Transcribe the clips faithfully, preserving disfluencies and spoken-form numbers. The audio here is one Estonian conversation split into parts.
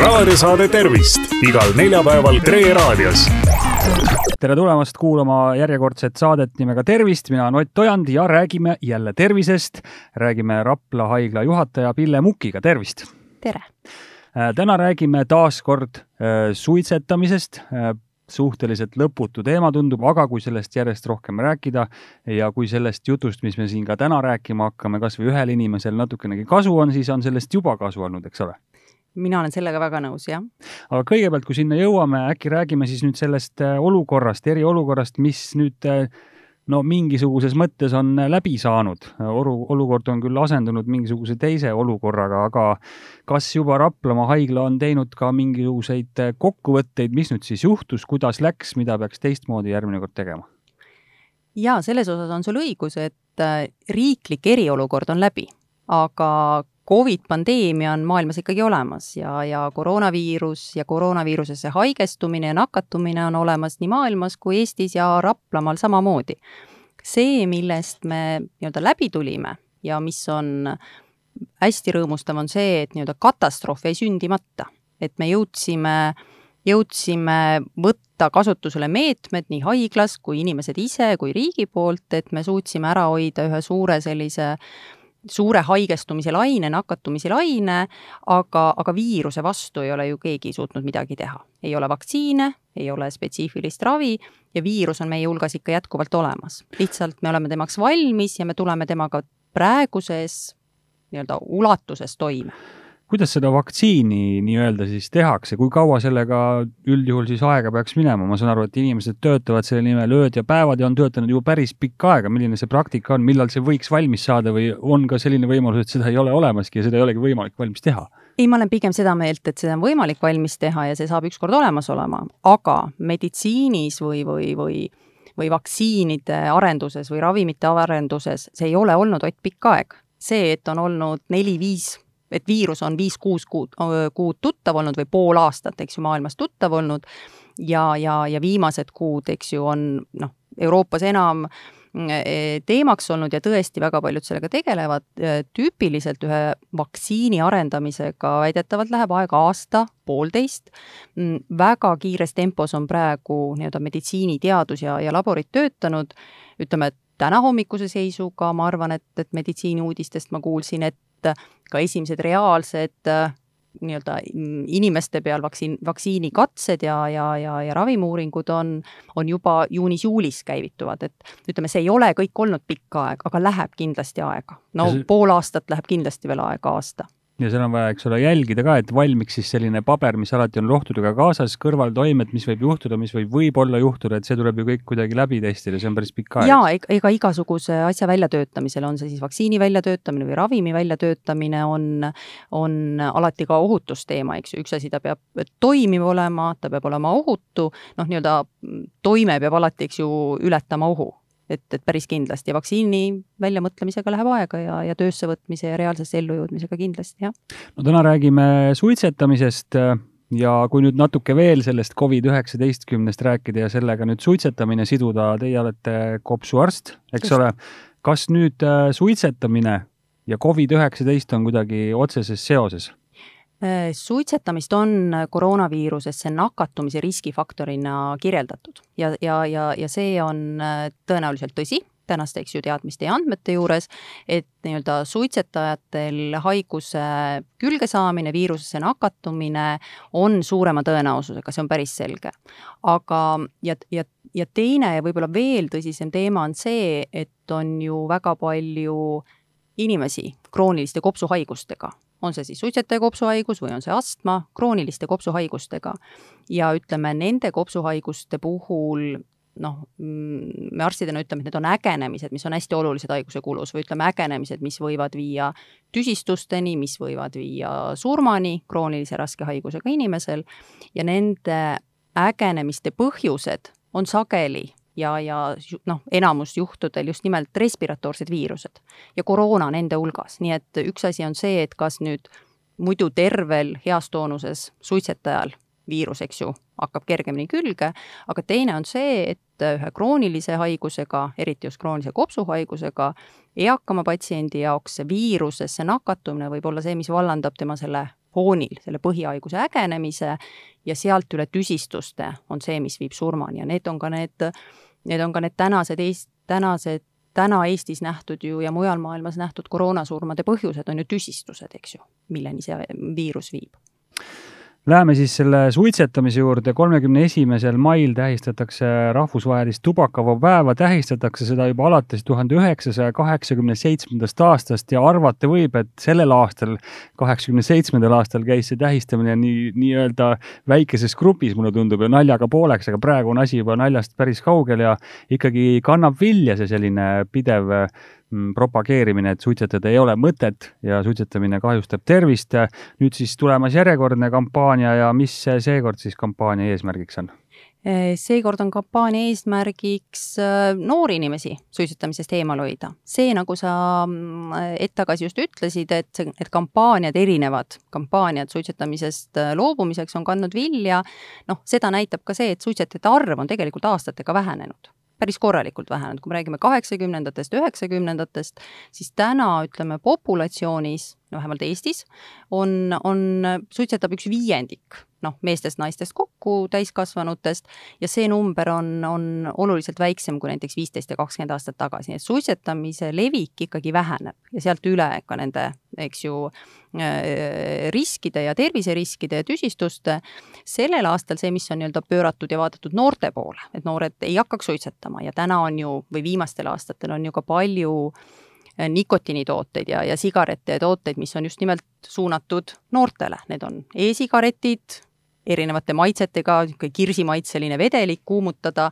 raadiosaade Tervist igal neljapäeval Tre raadios. Tere tulemast kuulama järjekordset saadet nimega Tervist. Mina olen Ott Ojand ja räägime jälle tervisest. Räägime Rapla haigla juhataja Pille Mukiga. Tervist! Tere! Täna räägime taas kord suitsetamisest. Suhteliselt lõputu teema tundub, aga kui sellest järjest rohkem rääkida ja kui sellest jutust, mis me siin ka täna rääkima hakkame, kas või ühel inimesel natukenegi kasu on, siis on sellest juba kasu olnud, eks ole? Mina olen sellega väga nõus, jah. Aga kõigepealt, kui sinna jõuame, äkki räägime siis nüüd sellest olukorrast, eriolukorrast, mis nüüd no mingisuguses mõttes on läbi saanud. Olukord on küll asendunud mingisuguse teise olukorraga, aga kas juba Raplamaa haigla on teinud ka mingisuguseid kokkuvõtteid, mis nüüd siis juhtus, kuidas läks, mida peaks teistmoodi järgmine kord tegema? Jaa, selles osas on sul õigus, et riiklik eriolukord on läbi, aga Covid-pandeemia on maailmas ikkagi olemas ja, ja koroonaviirus ja koroonaviirusesse haigestumine ja nakatumine on olemas nii maailmas kui Eestis ja Raplamaal samamoodi. See, millest me nii-öelda läbi tulime ja mis on hästi rõõmustav, on see, et nii-öelda katastroof jäi sündimata. Et me jõudsime, jõudsime võtta kasutusele meetmed nii haiglas kui inimesed ise kui riigi poolt, et me suutsime ära hoida ühe suure sellise suure haigestumise laine, nakatumise laine, aga, aga viiruse vastu ei ole ju keegi suutnud midagi teha. Ei ole vaktsiine, ei ole spetsiifilist ravi ja viirus on meie hulgas ikka jätkuvalt olemas. Lihtsalt me oleme temaks valmis ja me tuleme temaga praeguses nii-öelda ulatuses toime. Kuidas seda vaktsiini nii-öelda siis tehakse? Kui kaua sellega üldjuhul siis aega peaks minema? Ma saan aru, et inimesed töötavad selle nimel ööd ja päevad ja on töötanud juba päris pikka aega. Milline see praktika on? Millal see võiks valmis saada või on ka selline võimalus, et seda ei ole olemaski ja seda ei olegi võimalik valmis teha? Ei, ma olen pigem seda meelt, et seda on võimalik valmis teha ja see saab ükskord olemas olema. Aga meditsiinis või, või, või, või vaktsiinide arenduses või ravimite arenduses see ei ole olnud vaid pikka aeg. See, et on olnud neli viis et viirus on viis kuus kuud, kuud tuttav olnud või pool aastat, eks ju, maailmas tuttav olnud ja, ja, ja viimased kuud, eks ju, on noh, Euroopas enam teemaks olnud ja tõesti väga paljud sellega tegelevad. Tüüpiliselt ühe vaktsiini arendamisega väidetavalt läheb aega aasta, poolteist. Väga kiires tempos on praegu nii-öelda meditsiiniteadus ja, ja laborid töötanud. Ütleme, et täna hommikuse seisuga ma arvan, et, et meditsiini uudistest ma kuulsin, et ka esimesed reaalsed nii-öelda inimeste peal vaktsiin, vaktsiinikatsed ja, ja, ja, ja ravimuuringud on, on juba juunis-juulis käivituvad. Et, ütleme, see ei ole kõik olnud pikka aeg, aga läheb kindlasti aega. No see... pool aastat läheb kindlasti veel aega aasta. Ja seal on vaja, eks ole, jälgida ka, et valmiks siis selline paber, mis alati on rohtudega kaasas, kõrvaltoimed, mis võib juhtuda, mis võib võib-olla juhtuda, et see tuleb ju kõik kuidagi läbi testida, see on päris pikk aeg. Jaa, ega igasuguse asja väljatöötamisel, on see siis vaktsiini väljatöötamine või ravimi väljatöötamine, on, on alati ka ohutusteema, eks ju. Üks asi ta peab toimiv olema, ta peab olema ohutu, noh, nii-öelda toime peab alati, eks ju, ületama ohu. Et, et päris kindlasti ja vaktsiini väljamõtlemisega läheb aega ja, ja töösse võtmise ja reaalsesse ellujõudmisega kindlasti, jah. No täna räägime suitsetamisest ja kui nüüd natuke veel sellest covid üheksateist rääkida ja sellega nüüd suitsetamine siduda, teie olete kopsuarst, eks Just. ole. Kas nüüd suitsetamine ja covid üheksateist on kuidagi otseses seoses? Suitsetamist on koroonaviirusesse nakatumise riskifaktorina kirjeldatud ja, ja, ja, ja see on tõenäoliselt tõsi tänaste eks ju teadmiste ja andmete juures, et nii-öelda suitsetajatel haiguse külge saamine, viirusesse nakatumine on suurema tõenäosusega, see on päris selge. Aga ja, ja, ja teine ja võib-olla veel tõsisem teema on see, et on ju väga palju inimesi krooniliste kopsuhaigustega. On see siis suitsetaja kopsuhaigus või on see astma, krooniliste kopsuhaigustega. Ja ütleme, nende kopsuhaiguste puhul, noh, me arstidena ütleme, et need on ägenemised, mis on hästi olulised haiguse kulus, või ütleme ägenemised, mis võivad viia tüsistusteni, mis võivad viia surmani kroonilise raske haigusega inimesel ja nende ägenemiste põhjused on sageli ja, ja noh, enamus juhtudel just nimelt respiratoorsed viirused ja koroona nende hulgas. Nii et üks asi on see, et kas nüüd muidu tervel heas toonuses suitsetajal viirus, eks ju, hakkab kergemini külge, aga teine on see, et ühe kroonilise haigusega, eriti just kroonilise kopsuhaigusega, eakama patsiendi jaoks see viirusesse nakatumine võib olla see, mis vallandab tema selle foonil selle põhihaiguse ägenemise ja sealt üle tüsistuste on see, mis viib surmani ja need on ka need, need, on ka need tänased, tänased täna Eestis nähtud ju ja mujal maailmas nähtud koroonasurmade põhjused on ju tüsistused, eks ju, milleni see viirus viib. Läheme siis selle suitsetamise juurde. kolmekümne esimesel mail tähistatakse rahvusvahelist tubakavaba päeva, tähistatakse seda juba alates tuhande üheksasaja kaheksakümne seitsmendast aastast ja arvata võib, et sellel aastal, kaheksakümne seitsmendal aastal käis see tähistamine nii, nii-öelda väikeses grupis, mulle tundub, ja naljaga pooleks, aga praegu on asi juba naljast päris kaugel ja ikkagi kannab vilja see selline pidev propageerimine, et suitsetada ei ole mõtet ja suitsetamine kahjustab tervist. Nüüd siis tulemas järjekordne kampaania ja mis seekord siis kampaania eesmärgiks on? Seekord on kampaania eesmärgiks noori inimesi suitsetamisest eemal hoida. See, nagu sa hetk tagasi just ütlesid, et, et kampaaniad erinevad, kampaaniad suitsetamisest loobumiseks on kandnud vilja, noh, seda näitab ka see, et suitsetajate arv on tegelikult aastatega vähenenud. Päris korralikult vähenenud, kui me räägime kaheksakümnendatest, üheksakümnendatest, siis täna, ütleme, populatsioonis, no vähemalt Eestis, on, on, suitsetab üks viiendik, noh, meestest, naistest kokku, täiskasvanutest, ja see number on, on oluliselt väiksem kui näiteks viisteist ja kakskümmend aastat tagasi, nii et suitsetamise levik ikkagi väheneb ja sealt üle ka nende, eks ju, riskide ja terviseriskide ja tüsistuste. Sellel aastal see, mis on nii-öelda pööratud ja vaadatud noorte poole, et noored ei hakkaks suitsetama ja täna on ju, või viimastel aastatel on ju ka palju nikotiinitooteid ja, ja sigarette ja tooteid, mis on just nimelt suunatud noortele. Need on e-sigaretid, erinevate maitsetega, kirsimaitseline vedelik kuumutada,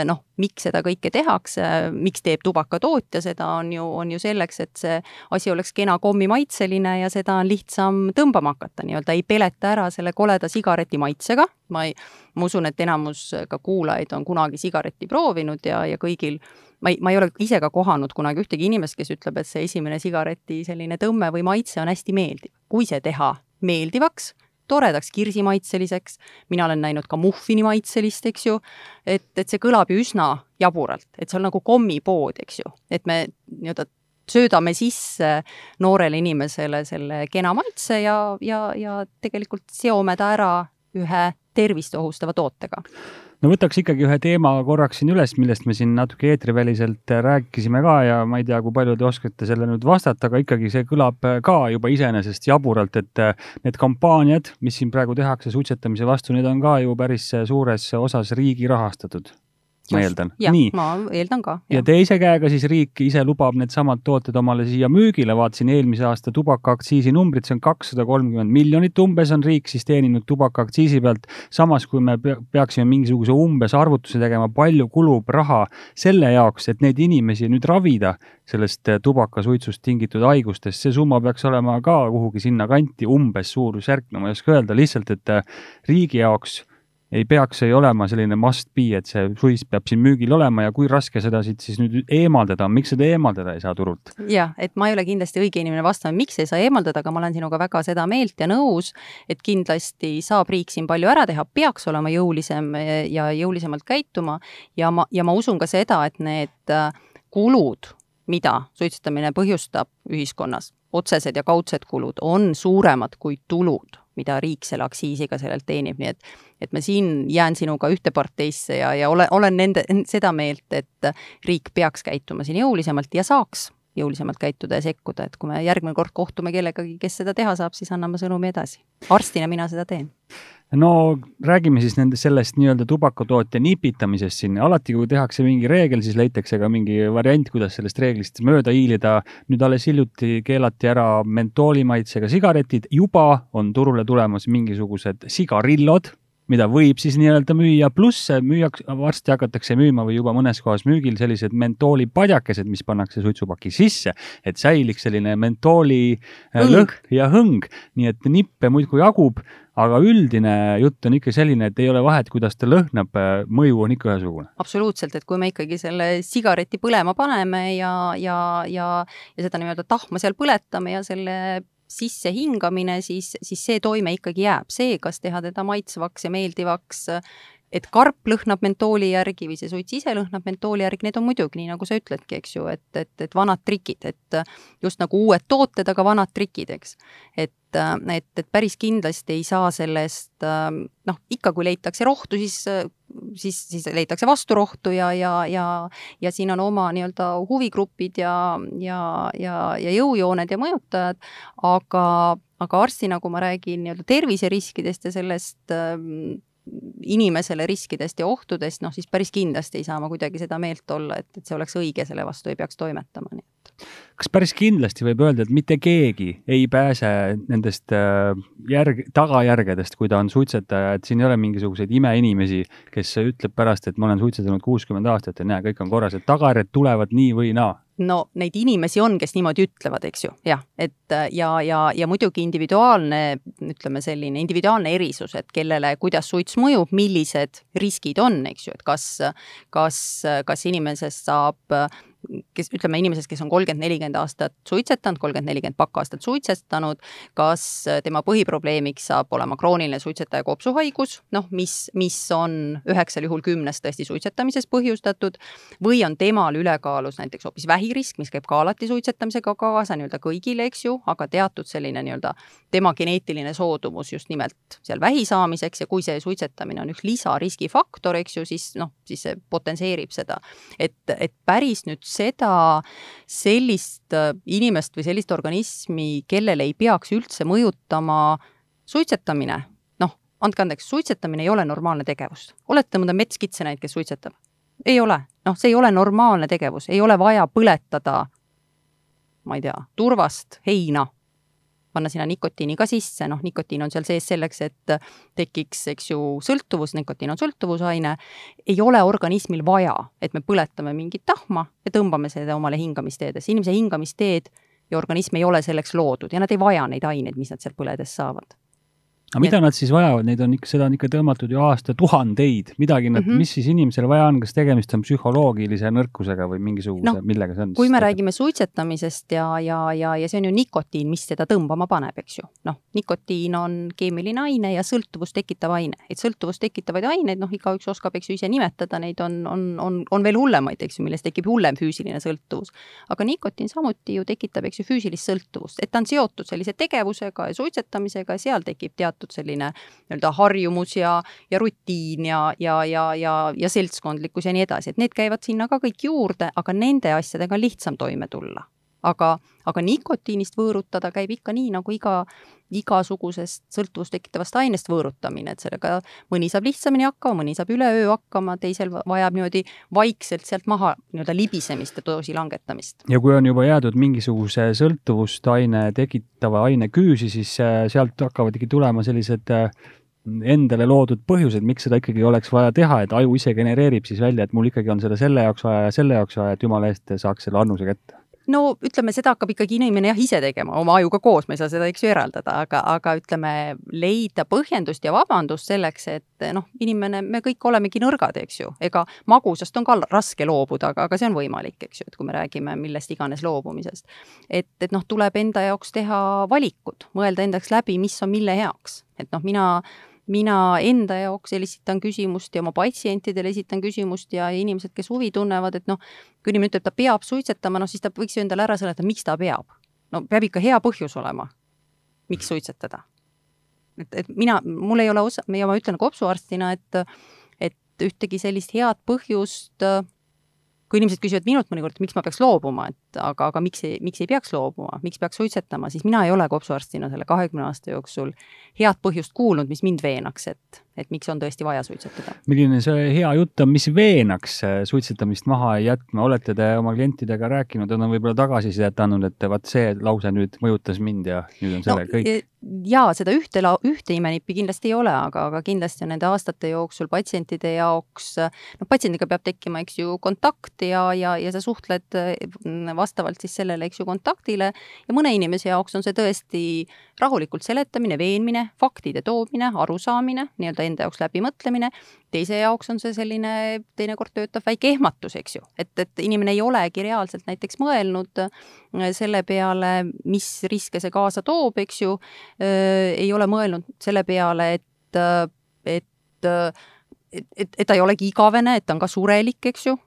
noh, miks seda kõike tehakse, miks teeb tubakatootja, seda on ju, on ju selleks, et see asi oleks kena kommimaitseline ja seda on lihtsam tõmbama hakata, nii-öelda ei peleta ära selle koleda sigareti maitsega. Ma, ei, ma usun, et enamus ka kuulajaid on kunagi sigaretti proovinud ja, ja kõigil, ma ei, ma ei ole ise ka kohanud kunagi ühtegi inimest, kes ütleb, et see esimene sigareti selline tõmme või maitse on hästi meeldiv. Kui see teha meeldivaks, toredaks kirsimaitseliseks, mina olen näinud ka muffini maitselist, eks ju, et, et see kõlab ju üsna jaburalt, et see on nagu kommipood, eks ju, et me nii-öelda söödame sisse noorele inimesele selle kena maitse ja, ja, ja tegelikult seome ta ära ühe tervist ohustava tootega. No võtaks ikkagi ühe teema korraks siin üles, millest me siin natuke eetriväliselt rääkisime ka ja ma ei tea, kui palju te oskate selle nüüd vastata, aga ikkagi see kõlab ka juba iseenesest jaburalt, et need kampaaniad, mis siin praegu tehakse suitsetamise vastu, need on ka ju päris suures osas riigi rahastatud. Ma eeldan. Ja, Nii. ma eeldan ka. Ja, ja teise käega siis riik ise lubab need samad tooted omale siia müügile. Vaatsin eelmise aasta tubakaaktsiisi numbrid, see on kakssada kolmkümmend miljonit umbes on riik siis teeninud tubakaaktsiisi pealt. Samas, kui me peaksime mingisuguse umbes arvutuse tegema, palju kulub raha selle jaoks, et neid inimesi nüüd ravida sellest tubakasuitsust tingitud haigustest. See summa peaks olema ka kuhugi sinna kanti umbes suurusjärk, no ma ei oska öelda, lihtsalt, et riigi jaoks ei peaks ei olema selline must be, et see suits peab siin müügil olema ja kui raske seda siit siis nüüd eemaldada, miks seda eemaldada ei saa turult? Ja, et ma ei ole kindlasti õige inimene vastama, miks ei saa eemaldada, aga ma olen sinuga väga seda meelt ja nõus, et kindlasti saab riik siin palju ära teha, peaks olema jõulisem ja jõulisemalt käituma ja ma, ja ma usun ka seda, et need kulud, mida suitsetamine põhjustab ühiskonnas, otsesed ja kaudsed kulud, on suuremad kui tulud, mida riik selle aksiisiga sellelt teenib, nii et, et me siin jään sinuga ühte parteisse ja, ja ole, olen nende, seda meelt, et riik peaks käituma siin jõulisemalt ja saaks jõulisemalt käituda ja sekkuda, et kui me järgmine kord kohtume kellegagi, kes seda teha saab, siis anname sõnumi edasi. Arstina mina seda teen. No räägime siis nende sellest nii-öelda tubakatootja nipitamisest siin. Alati, kui tehakse mingi reegel, siis leitakse ka mingi variant, kuidas sellest reeglist mööda hiilida. Nüüd alles hiljuti keelati ära mentoolimaitsega sigaretid. Juba on turule tulemas mingisugused sigarillod, mida võib siis nii-öelda müüa, pluss müüjaks, varsti hakatakse müüma või juba mõnes kohas müügil sellised mentoolipadjakesed, mis pannakse suitsupaki sisse, et säiliks selline mentooli hõng. Lõhn ja hõng, nii et nippe muidkui jagub, aga üldine jutt on ikka selline, et ei ole vahet, kuidas ta lõhnab, mõju on ikka ühesugune. Absoluutselt, et kui me ikkagi selle sigareti põlema paneme ja, ja, ja, ja seda nii-öelda tahma seal põletame ja selle sisse hingamine, siis, siis see toime ikkagi jääb. See, kas teha teda maitsvaks ja meeldivaks, et karp lõhnab mentooli järgi või see suits ise lõhnab mentooli järgi, need on muidugi nii, nagu sa ütledki, eks ju, et, et, et vanad trikid, et just nagu uued tooted, aga vanad trikid, eks. Et et, et päris kindlasti ei saa sellest, noh, ikka kui leitakse rohtu, siis, siis, siis leitakse vasturohtu ja, ja, ja, ja siin on oma nii-öelda huvigrupid ja, ja, ja, ja jõujooned ja mõjutajad, aga, aga arstina, kui ma räägin nii-öelda terviseriskidest ja sellest inimesele riskidest ja ohtudest, noh siis päris kindlasti ei saa ma kuidagi seda meelt olla, et, et see oleks õige, selle vastu ei peaks toimetama. Nii et. Kas päris kindlasti võib öelda, et mitte keegi ei pääse nendest järg, tagajärgedest, kui ta on suitsetaja, et siin ei ole mingisuguseid imeinimesi, kes ütleb pärast, et ma olen suitsetanud kuuskümmend aastat ja näe, kõik on korras, et tagajärjed tulevad nii või naa? No neid inimesi on, kes niimoodi ütlevad, eks ju, jah, et ja, ja, ja muidugi individuaalne, ütleme selline individuaalne erisus, et kellele, kuidas suits mõjub, millised riskid on, eks ju, et kas, kas, kas inimesest saab kes, ütleme inimesest, kes on kolmkümmend nelikümmend aastat suitsetanud, kolmkümmend nelikümmend pakkaastat suitsetanud, kas tema põhiprobleemiks saab olema krooniline suitsetaja kopsuhaigus, noh, mis, mis on üheksal juhul kümnest tõesti suitsetamises põhjustatud, või on temal ülekaalus näiteks hoopis vähirisk, mis käib ka alati suitsetamisega kaasa nii-öelda kõigile, eks ju, aga teatud selline nii-öelda tema geneetiline soodumus just nimelt seal vähi saamiseks ja kui see suitsetamine on üks lisariskifaktor, eks ju, siis noh, siis see potenseerib seda, et, et päris nüüd seda sellist inimest või sellist organismi, kellele ei peaks üldse mõjutama suitsetamine. Noh, andke andeks, suitsetamine ei ole normaalne tegevus. Olete mõnda metskitse näid, kes suitsetab? Ei ole. Noh, see ei ole normaalne tegevus. Ei ole vaja põletada, ma ei tea, turvast heina. Panna sinna nikotiini ka sisse, noh, nikotiin on seal sees selleks, et tekiks, eks ju, sõltuvus, nikotiin on sõltuvusaine, ei ole organismil vaja, et me põletame mingit tahma ja tõmbame seda omale hingamisteedes. Inimese hingamisteed ja organism ei ole selleks loodud ja nad ei vaja neid aineid, mis nad seal põledes saavad. Aga mida nad siis vajavad? Neid on ikka, seda on ikka tõmmatud ju aasta tuhandeid. Midagi nad, mm -hmm. mis siis inimesele vaja on? Kas tegemist on psühholoogilise nõrkusega või mingisuguse, no, millega see on? Kui me räägime suitsetamisest ja, ja, ja, ja see on ju nikotiin, mis seda tõmbama paneb, eks ju. Noh, nikotiin on keemiline aine ja sõltuvust tekitav aine. Et sõltuvust tekitavaid aineid, noh, igaüks oskab, eks ju, ise nimetada, neid on, on, on, on veel hullemaid, eks ju, millest tekib hullem füüsiline sõltuvus. Aga nikotiin samuti ju tekitab, eks ju, füüsilist sõltuvust. Et ta on seotud sellise tegevusega ja suitsetamisega ja seal tekib teatud selline nii-öelda harjumus ja, ja rutiin ja, ja, ja, ja, ja seltskondlikkus ja nii edasi. Et need käivad sinna ka kõik juurde, aga nende asjadega on lihtsam toime tulla. Aga, aga nikotiinist võõrutada käib ikka nii, nagu iga, igasugusest sõltuvust tekitavast ainest võõrutamine, et sellega mõni saab lihtsamini hakkama, mõni saab üle öö hakkama, teisel vajab niimoodi vaikselt sealt maha nii-öelda libisemist ja doosi langetamist. Ja kui on juba jäädud mingisuguse sõltuvust aine tekitava aine küüsi, siis sealt hakkavad ikkagi tulema sellised endale loodud põhjused, miks seda ikkagi oleks vaja teha, et aju ise genereerib siis välja, et mul ikkagi on seda selle jaoks vaja ja selle jaoks vaja, et jumala eest saaks selle annuse kätte. No ütleme, seda hakkab ikkagi inimene jah ise tegema, oma ajuga koos, me ei saa seda eks ju eraldada, aga, aga ütleme, leida põhjendust ja vabandust selleks, et noh, inimene, me kõik olemegi nõrgad, eks ju, ega magusast on ka raske loobuda, aga, aga see on võimalik, eks ju, et kui me räägime millest iganes loobumisest. Et, et noh, tuleb enda jaoks teha valikud, mõelda endaks läbi, mis on mille heaks, et noh, mina Mina enda jaoks esitan küsimust ja oma patsientidele esitan küsimust ja inimesed, kes huvi tunnevad, et noh, kui inimene ütleb, ta peab suitsetama, noh siis ta võiks ju endale ära seletada, miks ta peab. No peab ikka hea põhjus olema, miks suitsetada. Et, et mina, mul ei ole osa, ja ma ütlen kopsuarstina, et, et ühtegi sellist head põhjust, kui inimesed küsivad minult mõnikord, miks ma peaks loobuma, et aga, aga miks ei, miks ei peaks loobuma, miks peaks suitsetama, siis mina ei ole kopsuarstina selle kahekümne aasta jooksul head põhjust kuulnud, mis mind veenaks, et, et miks on tõesti vaja suitsetada. Milline see hea jutt on, mis veenaks suitsetamist maha ei jätma? Olete te oma klientidega rääkinud, on võib-olla tagasisidet andnud, et vaat see lause nüüd mõjutas mind ja nüüd on selle no, kõik? Jaa, seda ühte, ühte imenippi kindlasti ei ole, aga, aga kindlasti on nende aastate jooksul patsientide jaoks, no patsiendiga peab tekkima, eks ju, kontakt ja, ja, ja sa suhtled vastavalt siis sellele, eks ju, kontaktile ja mõne inimese jaoks on see tõesti rahulikult seletamine, veenmine, faktide toomine, arusaamine, nii-öelda enda jaoks läbimõtlemine, teise jaoks on see selline, teinekord töötab väike ehmatus, eks ju, et, et inimene ei olegi reaalselt näiteks mõelnud selle peale, mis riske see kaasa toob, eks ju, ei ole mõelnud selle peale, et, et, et, et, et ta ei olegi igavene, et ta on ka surelik, eks ju,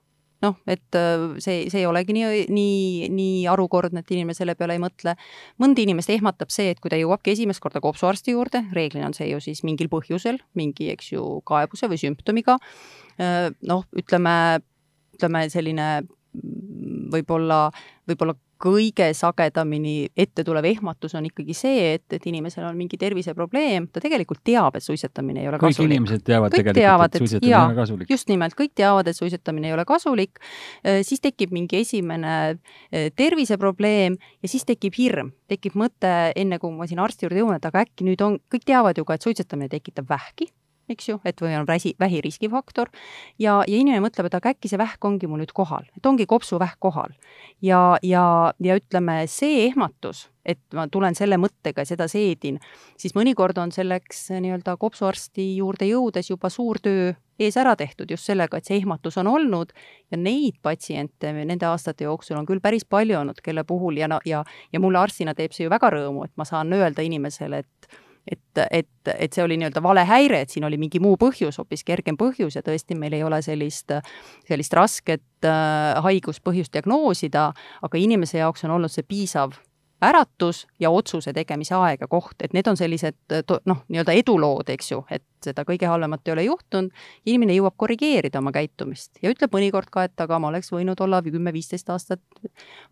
noh, et see, see ei olegi nii, nii, nii arukordne, et inimene selle peale ei mõtle. Mõnda inimest ehmatab see, et kui ta jõuabki esimest korda kopsuarsti juurde, reeglina on see ju siis mingil põhjusel, mingi, eks ju, kaebuse või sümptomiga, noh, ütleme, ütleme selline võib-olla, võib-olla kõige sagedamini ette tulev ehmatus on ikkagi see, et, et inimesel on mingi terviseprobleem, ta tegelikult teab, et suitsetamine ei ole kõik kasulik. Kõik inimesed teavad kõik tegelikult, teavad, et suitsetamine jaa, ei ole kasulik. Just nimelt, kõik teavad, et suitsetamine ei ole kasulik, siis tekib mingi esimene terviseprobleem ja siis tekib hirm, tekib mõte, enne kui ma siin arsti juurde jõuan, et aga äkki nüüd on, kõik teavad ju ka, et suitsetamine tekitab vähki, eks ju, et või on väsi, vähiriskifaktor ja, ja inimene mõtleb, et aga äkki see vähk ongi mul nüüd kohal, et ongi kopsuvähk kohal ja, ja, ja ütleme, see ehmatus, et ma tulen selle mõttega ja seda seedin, siis mõnikord on selleks nii-öelda kopsuarsti juurde jõudes juba suur töö ees ära tehtud just sellega, et see ehmatus on olnud ja neid patsiente nende aastate jooksul on küll päris palju olnud, kelle puhul ja, ja, ja mulle arstina teeb see ju väga rõõmu, et ma saan öelda inimesele, et et, et, et see oli nii-öelda vale häire, et siin oli mingi muu põhjus, hoopis kergem põhjus ja tõesti meil ei ole sellist, sellist rasket äh, haiguspõhjust diagnoosida, aga inimese jaoks on olnud see piisav äratus ja otsuse tegemise aega koht, et need on sellised noh, nii-öelda edulood, eks ju, et seda kõige halvemat ei ole juhtunud, inimene jõuab korrigeerida oma käitumist ja ütleb mõnikord ka, et aga ma oleks võinud olla kümme viisteist aastat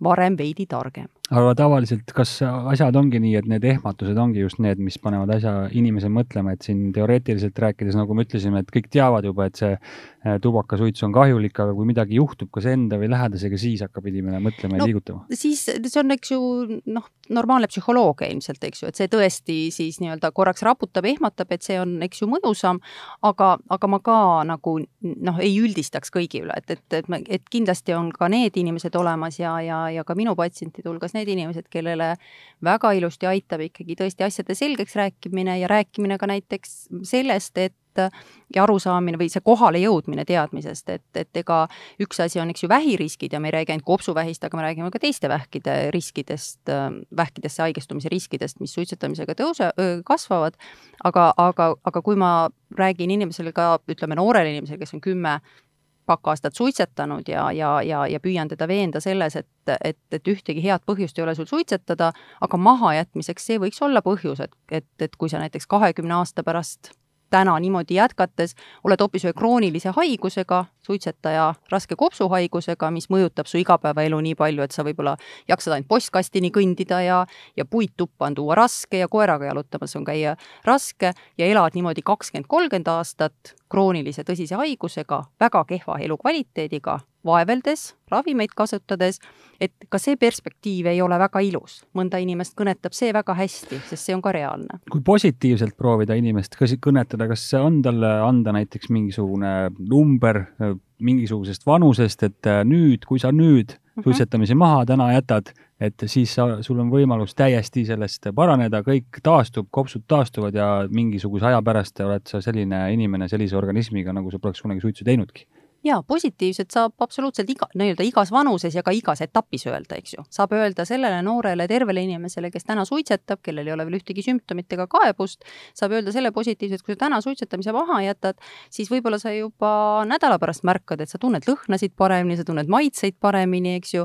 varem veidi targem. Aga tavaliselt, kas asjad ongi nii, et need ehmatused ongi just need, mis panevad asja inimese mõtlema, et siin teoreetiliselt rääkides, nagu me ütlesime, et kõik teavad juba, et see tubakasuits on kahjulik, aga kui midagi juhtub kas enda või lähedasega, siis hakkab inimene mõtlema no, ja liigutama? Siis see on, eks ju, noh, normaalne psühholoogia ilmselt, eks ju, et see tõesti siis nii-öelda korraks raputab, ehmatab, et see on, eks ju, mõjusam, aga, aga ma ka nagu noh, ei üldistaks kõigi üle, et, et, et, et kindlasti on ka need inimesed olemas ja, ja, ja ka minu patsientide hulgas need inimesed, kellele väga ilusti aitab ikkagi tõesti asjade selgeks rääkimine ja rääkimine ka näiteks sellest, et ja arusaamine või see kohale jõudmine teadmisest, et, et ega üks asi on, eks ju, vähiriskid ja me ei räägi ainult kopsuvähist, aga me räägime ka teiste vähkide riskidest, vähkidesse haigestumise riskidest, mis suitsetamisega tõuse, kasvavad, aga, aga, aga kui ma räägin inimesele ka, ütleme noorele inimesele, kes on kümme pakkaastat suitsetanud ja, ja, ja, ja püüan teda veenda selles, et, et, et ühtegi head põhjust ei ole sul suitsetada, aga mahajätmiseks see võiks olla põhjus, et, et, et kui sa näiteks kahekümne aasta pärast täna niimoodi jätkates oled hoopis ühe kroonilise haigusega, suitsetaja raske kopsuhaigusega, mis mõjutab su igapäevaelu nii palju, et sa võib-olla jaksad ainult postkastini kõndida ja, ja puittuppa on tuua raske ja koeraga jalutamas on käia raske ja elad niimoodi kakskümmend kolmkümmend aastat kroonilise tõsise haigusega, väga kehva elukvaliteediga, vaeveldes, ravimeid kasutades, et ka see perspektiiv ei ole väga ilus. Mõnda inimest kõnetab see väga hästi, sest see on ka reaalne. Kui positiivselt proovida inimest kõnetada, kas on talle anda näiteks mingisugune number mingisugusest vanusest, et nüüd, kui sa nüüd suitsetamise maha täna jätad, et siis sa, sul on võimalus täiesti sellest paraneda, kõik taastub, kopsud taastuvad ja mingisuguse aja pärast oled sa selline inimene sellise organismiga, nagu sa poleks kunagi suitsu teinudki. Jaa, positiivselt saab absoluutselt iga, nii-öelda igas vanuses ja ka igas etapis öelda, eks ju. Saab öelda sellele noorele tervele inimesele, kes täna suitsetab, kellel ei ole veel ühtegi sümptomit ega kaebust, saab öelda selle positiivselt, kui sa täna suitsetamise maha jätad, siis võib-olla sa juba nädala pärast märkad, et sa tunned lõhnasid paremini, sa tunned maitseid paremini, eks ju.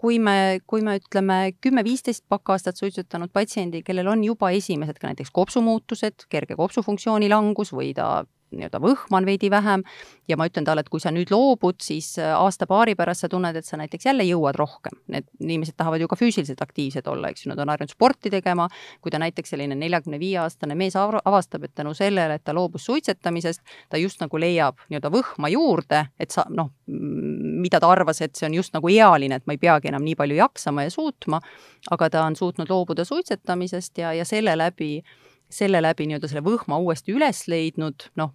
Kui me, kui me ütleme kümme viisteist pakkaastat suitsetanud patsiendi, kellel on juba esimesed ka näiteks kopsumuutused, kerge kopsufunktsiooni langus või ta nii-öelda võhman veidi vähem ja ma ütlen talle, et kui sa nüüd loobud, siis aasta-paari pärast sa tunned, et sa näiteks jälle jõuad rohkem. Need inimesed tahavad ju ka füüsiliselt aktiivsed olla, eks ju, nad on harjunud sporti tegema, kui ta näiteks selline neljakümne viie aastane mees avastab, et tänu sellele, et ta loobus suitsetamisest, ta just nagu leiab nii-öelda võhma juurde, et sa, noh, mida ta arvas, et see on just nagu ealine, et ma ei peagi enam nii palju jaksama ja suutma, aga ta on suutnud loobuda suitsetamisest ja, ja selle läbi selle läbi nii-öelda selle võhma uuesti üles leidnud, noh,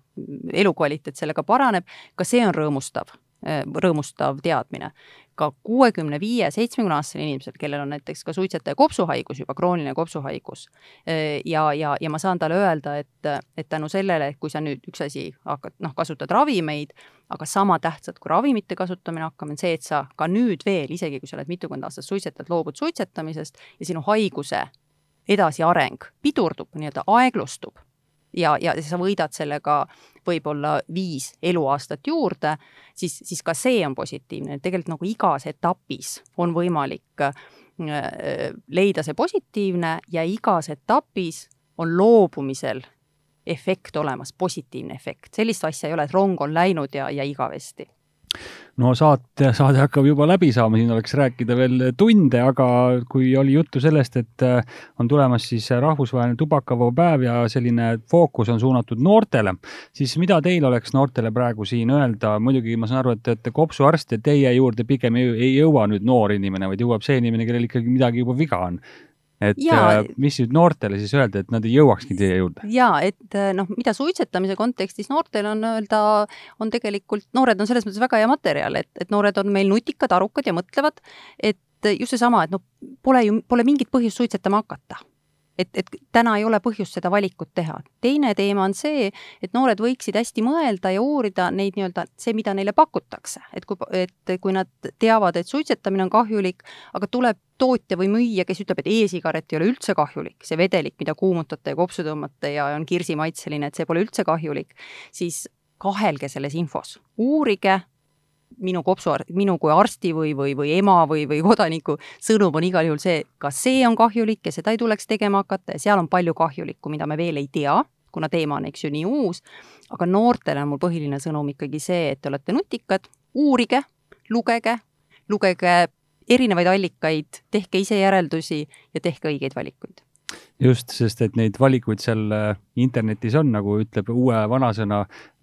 elukvaliteet sellega paraneb, ka see on rõõmustav, rõõmustav teadmine. Ka kuuekümne viie seitsmekümne aastasel inimesel, kellel on näiteks ka suitsetaja kopsuhaigus, juba krooniline kopsuhaigus. Ja, ja, ja ma saan talle öelda, et, et tänu sellele, kui sa nüüd üks asi hakkad, noh, kasutad ravimeid, aga sama tähtsad kui ravimite kasutamine hakkame, see, et sa ka nüüd veel, isegi kui sa oled mitukümmend aastat suitsetad, loobud suitsetamisest ja sinu haiguse edasi areng pidurdub, nii-öelda aeglustub, ja, ja sa võidad sellega võib-olla viis eluaastat juurde, siis, siis ka see on positiivne. Tegelikult nagu igas etapis on võimalik leida see positiivne ja igas etapis on loobumisel efekt olemas, positiivne efekt. Sellist asja ei ole, et rong on läinud ja, ja igavesti. No saate, saade hakkab juba läbi saama, siin oleks rääkida veel tunde, aga kui oli juttu sellest, et on tulemas siis rahvusvaheline tubakavaba päev ja selline fookus on suunatud noortele, siis mida teil oleks noortele praegu siin öelda? Muidugi ma saan aru, et te olete kopsuarst ja teie juurde pigem ei jõua nüüd noor inimene, vaid jõuab see inimene, kellel ikkagi midagi juba viga on. Et ja, mis nüüd noortele siis öelda, et nad ei jõuakski teie juurde? Jaa, et noh, mida suitsetamise kontekstis noortel on öelda, on tegelikult, noored on selles mõttes väga hea materjal, et, et noored on meil nutikad, arukad ja mõtlevad, et just see sama, et no, pole, ju, pole mingit põhjust suitsetama hakata. Et, et täna ei ole põhjust seda valikut teha. Teine teema on see, et noored võiksid hästi mõelda ja uurida neid nii-öelda see, mida neile pakutakse. Et kui, et kui nad teavad, et suitsetamine on kahjulik, aga tuleb tootja või müüja, kes ütleb, et e-sigaret ei ole üldse kahjulik, see vedelik, mida kuumutate ja kopsu tõmmate ja on kirsimaitseline, et see pole üldse kahjulik, siis kahelge selles infos. Uurige, minu kopsu, minu kui arsti või, või, või ema või, või kodaniku sõnum on igal juhul see, kas see on kahjulik ja seda ei tuleks tegema hakata ja seal on palju kahjulikku, mida me veel ei tea, kuna teema on eks ju nii uus, aga noortele on mul põhiline sõnum ikkagi see, et te olete nutikad, uurige, lugege, lugege erinevaid allikaid, tehke ise järeldusi ja tehke õigeid valikuid. Just, sest et neid valikuid seal internetis on, nagu ütleb uue vanasõna,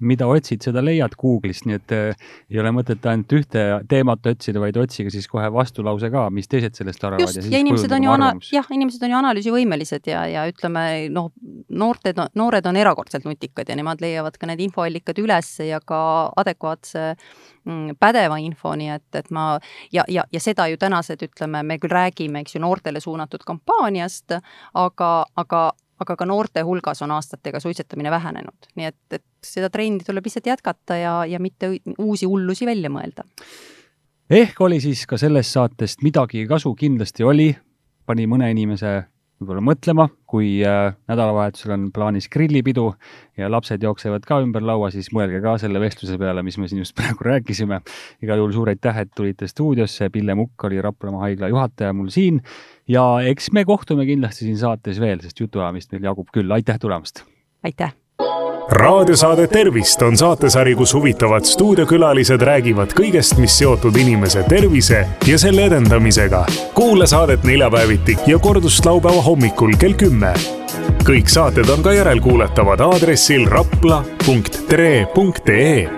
mida otsid, seda leiad Google'ist, nii et ei ole mõtet ainult ühte teemat otsida, vaid otsiga siis kohe vastulause ka, mis teised sellest arvavad. Just, ja, ja inimesed on ju ana- jah, inimesed on ju analüüsivõimelised ja, ja ütleme, noh, noorted, noored on erakordselt nutikad ja nemad leiavad ka need infoallikad üles ja ka adekvaatse pädeva info, nii et, et ma, ja, ja, ja seda ju tänased, ütleme, me küll räägime, eks ju, noortele suunatud kampaaniast, aga, aga, aga ka noorte hulgas on aastatega suitsetamine vähenenud. Nii et, et seda trendi tuleb lihtsalt jätkata ja, ja mitte uusi hullusi välja mõelda. Ehk oli siis ka sellest saatest midagi kasu kindlasti oli, pani mõne inimese võib-olla mõtlema, kui äh, nädalavahetusel on plaanis grillipidu ja lapsed jooksevad ka ümber laua, siis mõelge ka selle vestluse peale, mis me siin just praegu rääkisime. Igal juhul suur aitäh, et tulite stuudiosse. Pille Mukk oli Raplamaa haigla juhataja mul siin ja eks me kohtume kindlasti siin saates veel, sest jutuajamist meil jagub küll. Aitäh tulemast! Aitäh! Raadiosaade Tervist on saatesari, kus huvitavad stuudiokülalised räägivad kõigest, mis seotud inimese tervise ja selle edendamisega. Kuula saadet neljapäeviti ja kordust laupäeva hommikul kell kümme. Kõik saated on ka järelkuuletavad aadressil rapla punkt tre punkt ee.